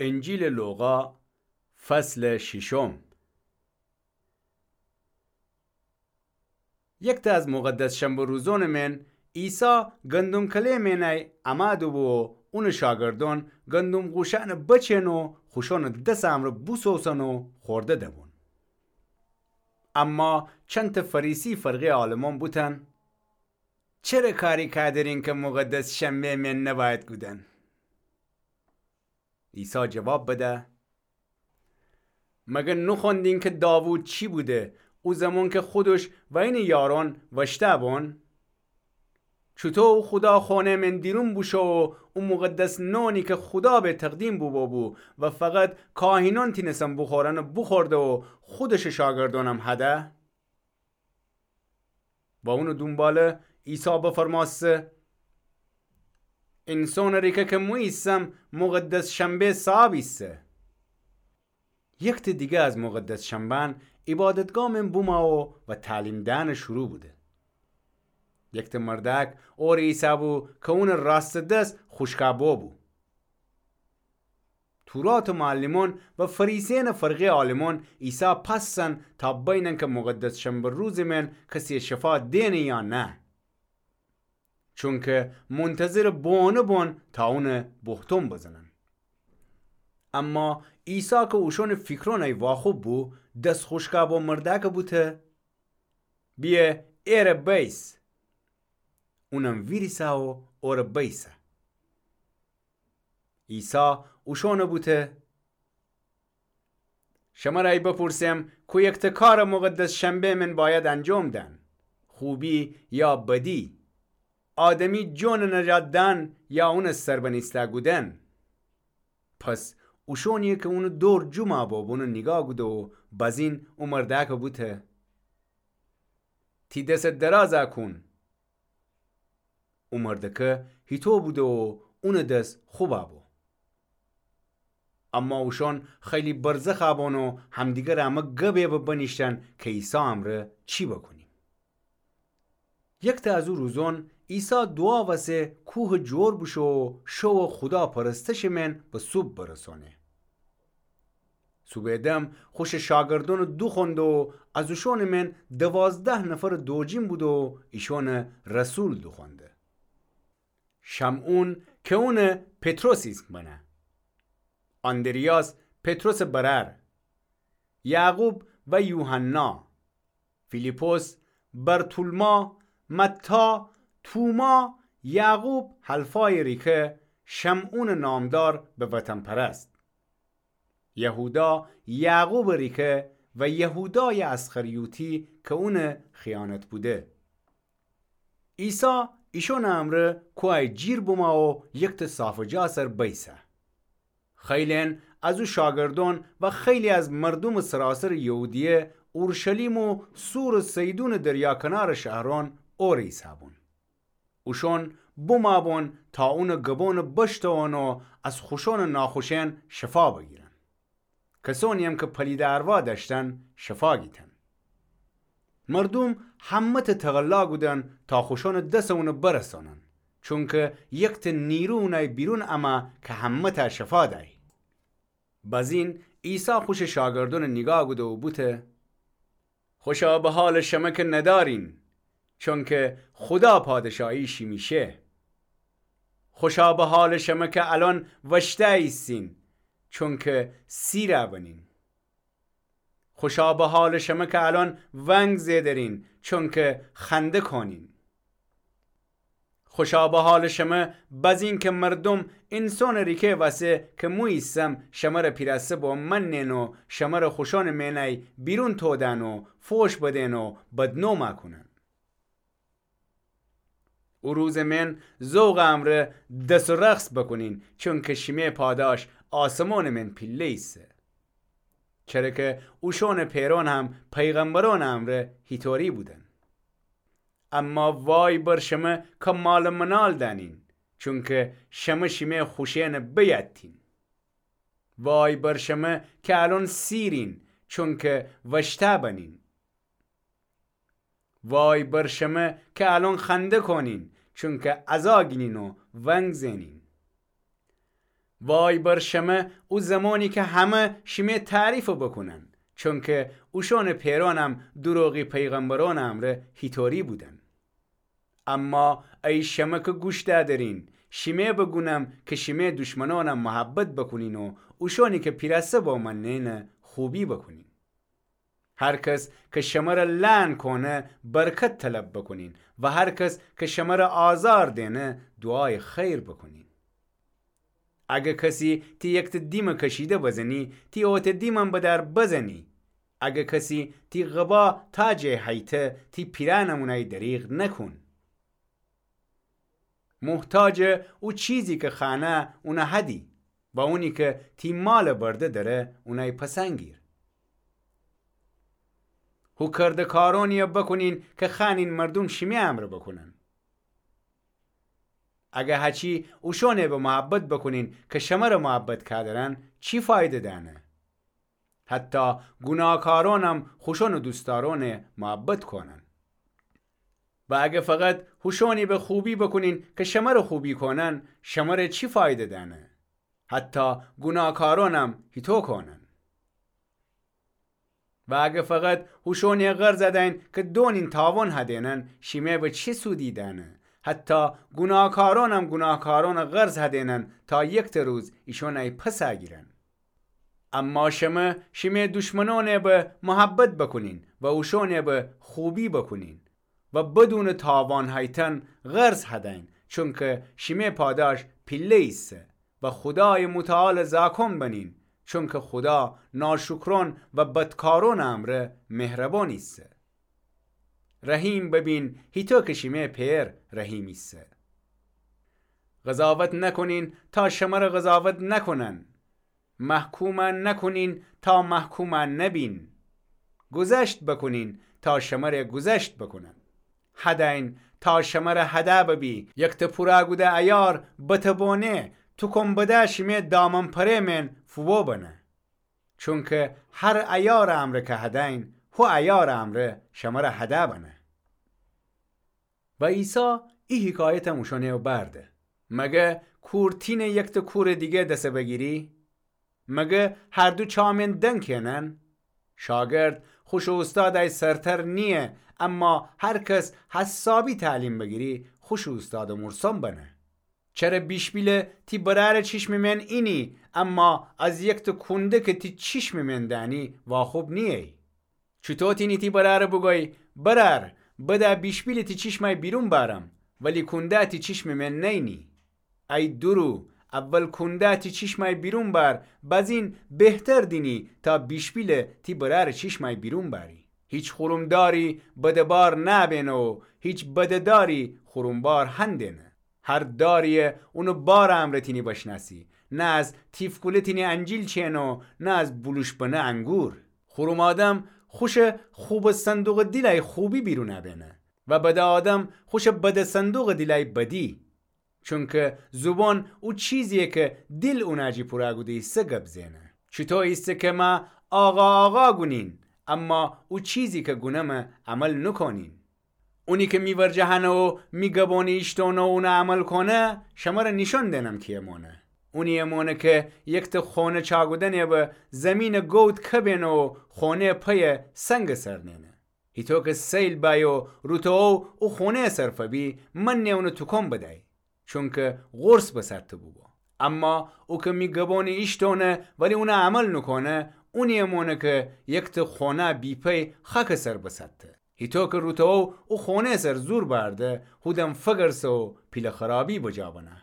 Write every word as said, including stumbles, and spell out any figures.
انجیلٚ لوقا، فصلٚ شیشم. یکته از مقدس شنبه روزونٚ مئن عیسی گندم کله‌یٚ مئنی امأ دوبو و اونٚ شاگردون گندم قوشأنٚ بچئن و خوشانٚ دسٚ امرأ بوسوسن و خورده دبون. اما چندتأ فریسی فرقه‌یٚ عالمأن بوتن: چره کاری کادرین کی مقدس شنبه‌یٚ مئن نبأید کودن؟ عیسی جواب بده: مگر نوخوأندین کی داوود چی بوده، او زمان کی خودش و اینٚ یارأن وأشتأ بون؟ چوطو او خودا خونه‌یٚ مئن دیرون بوشو و او مقدس نانی کی خودا به تقدیم بوبوبو و فقط کاهینأن تینستن بوخورن، بوخورده و خودشٚ شاگردأنم هده؟ و اونٚ دونباله عیسی بفرمأسته: اینسانٚ ریکه کی مو ایسم، مقدس شنبه صاب ایسه. یکته دیگه از مقدس شنبه‌أن عیبادتگاه مئن بومأ و تعلیم دئن شروع بوده. یکته مردأک اوره ایسه‌بو کی اونٚ راستٚ دس خوشکأ بوبو. توراتٚ معلمأن و فریسیأنٚ فرقه‌یٚ عالمأن عیسی پأسن تا بینن کی مقدس شنبه روزٚ مئن کسی‌یَ شفا دئنه یا نه. چونکی منتظرٚ بوئونٚ بون تا اونَ بوهتون بزنن. اما عیسی کی اوشونٚ فیکرونَی واخوب بو، دس خوشکأ بو مردأکَ بوته: بیه ایره بیس. اونم ویریسه و اوره بیسه. عیسی اوشونَ بوته: شمرَ ای بپورسم کو یکته کارَ مقدس شنبه مئن بأید انجام دن؟ خوبی یا بدی؟ آدمی جونَ نجات دن یا اونَ سربنیسته کودن؟ پس اوشونی کی اونٚ دور جمعَ بوبو اونَ نیگاه کوده و بزین او مردأکَ بوته: تی دسَ درازَ کون. او مردأکَ هیتو بوده و اونٚ دس خوبَ بو. اما اوشون خیلی برزخَ بون و همدیگرٚ امه گبَ بنیشتن کی عیسی امرأ چی بوکونیم. یکته از او روزون عیسی دوعا وسه کوهٚ جور بوشو و شو و خودا پرستشٚ مئن به صوب برسونه. صوبٚ دم خوشٚ شاگردونَ دوخوأنده و از اوشونٚ مئن دوازده نفرَ دوجین بوده و ایشونَ رسول دوخوأنده. شمعون کی اونَ پطرس ایسم بنه، آندریاس پطرسٚ برأر، یعقوب و یوحنا، فیلیپس، برتولما، متی، توما، یعقوب حلفایٚ ریکه، شمعونٚ نامدار به وطن‌پرست، یهودا یعقوبٚ ریکه و یهودایٚ اسخریوطی کی اونٚ خیانت بوده. عیسی ایشونٚ امرأ کوهَی جیر بومه و یکته صافٚ جا سر بیسه. خیلی‌یأن از او شاگردون و خیلی از مردومٚ سراسرٚ یهودیه، اورشلیم و صورٚ صیدونٚ دریا کنارٚ شهرون اوره ایسه‌بون. اوشون بومه‌بون تا اونٚ گبونَ بشتوون و از خوشونٚ ناخوشه‌یأن شفا بگیرن. کسونی‌یم کی پلیدٚ ارواح دأشتن شفا گیتن. مردوم همه‌تأ تقلا کودن تا خوشونٚ دسَ اونَ برسانن، چونکی یکته نیرو اونَی بیرون امه کی همه‌تأ شفا دأی. بزین عیسی خوشٚ شاگردونَ نیگاه کوده و بوته: خوشا به حالٚ شمه کی ندارین، چونکی خودا پادشاهی شیمی شه. خوشا به حالٚ شمه کی الأن وشتأ ایسین، چونکی سیرَ بنین. خوشا به حالٚ شمه کی الأن ونگ زئدرین، چونکی خنده کونین. خوشا به حالٚ شمه بزین کی مردوم اینسونٚ ریکه وسه کی مو ایسم شمرَ پیراسه بومنن و شمرَ خوشونٚ مئنی بیرون تودن و فوش بدن و بدنومَ کونن. او روزٚ مئن ذوقٚ امرأ دس و رقص بوکونین، چونکی شیمه پاداش آسمونٚ مئن پیله ایسه. چره کی اوشونٚ پئرون هم پیغمبرونٚ امرأ هیطوری بودن. اما وای بر شمه کی مالٚ منال دأنین، چونکی شمه شیمه خوشه‌یأنَ بیأتین. وای بر شمه کی الأن سیرین، چونکی وشتأ بنین. وای بر شمه کی الأن خنده کونین، چونکی عزا گینین و ونگ زئنین. وای بر شمه او زمانی که همه شیمه تعریف بکونن، چونکه اوشانٚ پئرانم دروغی پیغمبرانٚ امرأ هیطوری بودن. اما ای شمه که گوش دأدرین، شیمه بگونم که شیمه دشمنانم محبت بکونین و اوشانی که پیرسه بامأننه خوبی بکونین. هر کس که شمره لعن کونه، برکت طلب بکونین و هر کس که شمره آزار دینه، دوعای خیر بکونین. اگه کسی تی یکته دیمه کشیده بزنی، تی اوته دیمم بدأر بزنی. اگه کسی تی قبا تاجه هیته، تی پیرأنم اونای دریغ نکون. محتاجه او چیزی که خوأنه اونه هدی و اونی که تی ماله برده دره اونای پسنگیر. هو کردکارونیه بکونین که خوأنین مردوم شیمه امرأ بکونن. اگه هچی اوشانه به محبت بکونین که شمره محبت کودرن، چی فایده دأنه؟ حتی گوناهکارونم خوشانٚ دوستدارونه محبت کونن. و اگه فقط هوشانی به خوبی بکونین که شمره خوبی کونن، شمره چی فایده دأنه؟ حتی گوناهکارونم هیطو کونن. و اگه فقط هوشانی قرض هدین که دونین تاوان هدینن، شیمه به چی سودی دأنه؟ حتی گوناهکارونم گوناهکارونٚ قرض هدینن تا یکته روز ایشانای پس گیرن. اما شمه شیمه دشمنانه به محبت بکونین و اوشانه به خوبی بکونین و بدونٚ تاوان هیتن قرض هدین، چونکه شیمه پاداش پیله ایسه و خودای متعال زاکون بنین، چونکه خودا ناشکران و بدکارانٚ امرأ مهربان ایسه. رحیم ببین، هیطو که شیمه پئر رحیم ایسه. قضاوت نکونین تا شمره قضاوت نکونن. محکوم نکونین تا محکوم نبین. گذشت بکونین تا شمره گذشت بکونن. هدین تا شمره هده ببی. یکته پورا کوده ایار بتبونه، توکم بده شیمه دامن پره مئن فوبو بنه. چونکه هر ایارٚ امرأ که هدین، هو ایارٚ امرأ شمره هده بنه. و عیسی ای حکایتم اوشانٚ بأرده: مگه کور تینه یکته کورٚ دیگه دسه بگیری؟ مگه هر دو چا مئن دنگ کئنن؟ شاگرد خوشٚ اوستادأی سرتر نییه، اما هر کس حسابی تعلیم بگیری، خوشٚ اوستادٚ مرسوم بنه. چره بیشپیله تی برأرٚ چیشمٚ مئن اینی، اما از یکته کونده که تی چیشمٚ مئن دأنی واخوب نییی؟ چوطو تینی تی برأره بوگویی: برأر، بده بیشپیله تی چیشمأی بیرون بأرم، ولی کونده تی چیشمٚ مئن نینی؟ ای دورو، اول کونده تی چیشمأی بیرون بأر، بزین بهتر دینی تا بیشپیله تی برأرٚ چیشمأی بیرون بأری. هیچ خرومداری بده بار نأبینه و هیچ بده داری خرومبار هندینه. هر داریی اونٚ بارٚ امرأ تینی بشنأسی. نه از تیفکوله تینی انجیل چئنه و نه از بولوش‌بنه انگور. خروم آدم خوشٚ خوبٚ صندوقٚ دیلأی خوبی بیرون ابینه و بده آدم خوشٚ بدٚ صندوقٚ دیلأی بدی. چونکه زوبان او چیزییه که دیل اونٚ جی پورا کوده ایسه گب زئنه. چوطو ایسه که مه آقا آقا گونین، اما او چیزی که گونمه عمل نوکونین. اونی که می ورجه هنه و می گبانه ایشتونه و اونه عمل کونه، شمره نیشأن دئنم کییه مانه. اونییه مانه که یکته خانه چاکودنه به زیمینٚ گود کبینه و خانه پیه سنگٚ سر نئنه. هیطو که سیل بأیه و روتوو او خانه سر فبی، منه اونه توکان بدأی، چونکه قرص بسرته بوبو. اما او که می گبانه ایشتونه ولی اونه عمل نوکونه، اونییه مانه که یکته خانه بی‌پی خاکٚ سر بسرته. هیطو که روتوو او خانه سر زور بأرده، هودن فگرسه و پیله خرابی بجا بنه.